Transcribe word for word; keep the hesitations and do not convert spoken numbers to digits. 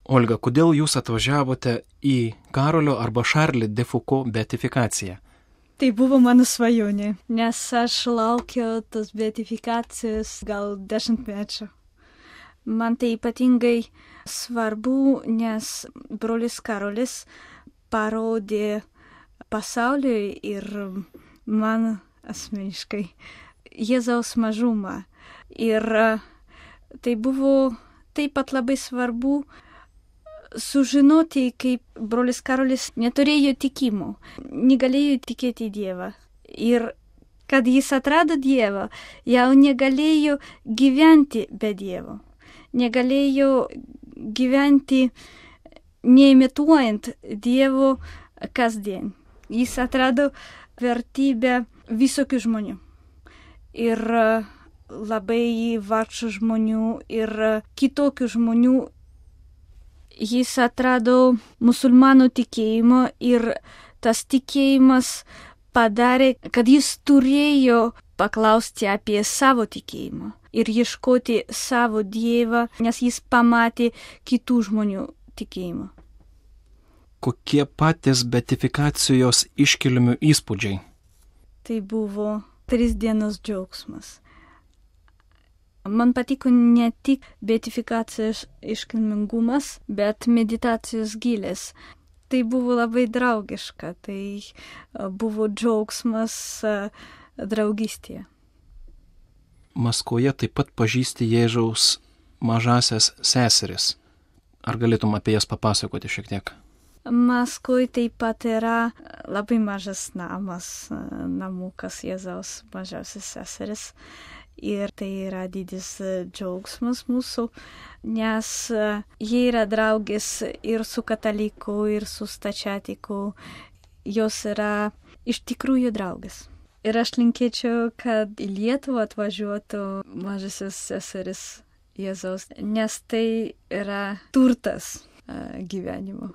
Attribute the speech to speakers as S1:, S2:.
S1: Olga, kodėl jūs atvažiavote į Karolio arba Šarli de Foucault beatifikaciją?
S2: Tai buvo mano svajonė, nes aš laukiau tos beatifikacijos gal dešimtmečių. Man tai ypatingai svarbu, nes brolis Karolis parodė pasauliui ir man asmeniškai Jėzaus mažumą. Ir tai buvo taip pat labai svarbu sužinoti, kaip brolis Karolis neturėjo tikimo, negalėjo tikėti Dievą. Ir kad jis atrado Dievą, jau negalėjo gyventi be Dievo. Negalėjo gyventi neimituojant Dievo kasdien. Jis atrado vertybę visokių žmonių. Ir labai vargšų žmonių, ir kitokių žmonių. Jis atrado musulmanų tikėjimą ir tas tikėjimas padarė, kad jis turėjo paklausti apie savo tikėjimą ir ieškoti savo Dievą, nes jis pamatė kitų žmonių tikėjimą.
S1: Kokie patys beatifikacijos iškilmių įspūdžiai?
S2: Tai buvo tris dienos džiaugsmas. Man patiko ne tik beatifikacijos iškilmingumas, bet meditacijos gilės. Tai buvo labai draugiška, tai buvo džiaugsmas draugystėje.
S1: Maskvoje taip pat pažįsti Jėzaus mažasias seseris. Ar galėtum apie jas papasakoti šiek tiek?
S2: Maskvoje taip pat yra labai mažas namas, namukas Jėzaus mažasias seseris. Ir tai yra didis džiaugsmas mūsų, nes jie yra draugės ir su kataliku, ir su stačiatiku. Jos yra iš tikrųjų draugės. Ir aš linkėčiau, kad į Lietuvą atvažiuotų mažasis seseris Jėzaus, nes tai yra turtas gyvenimo.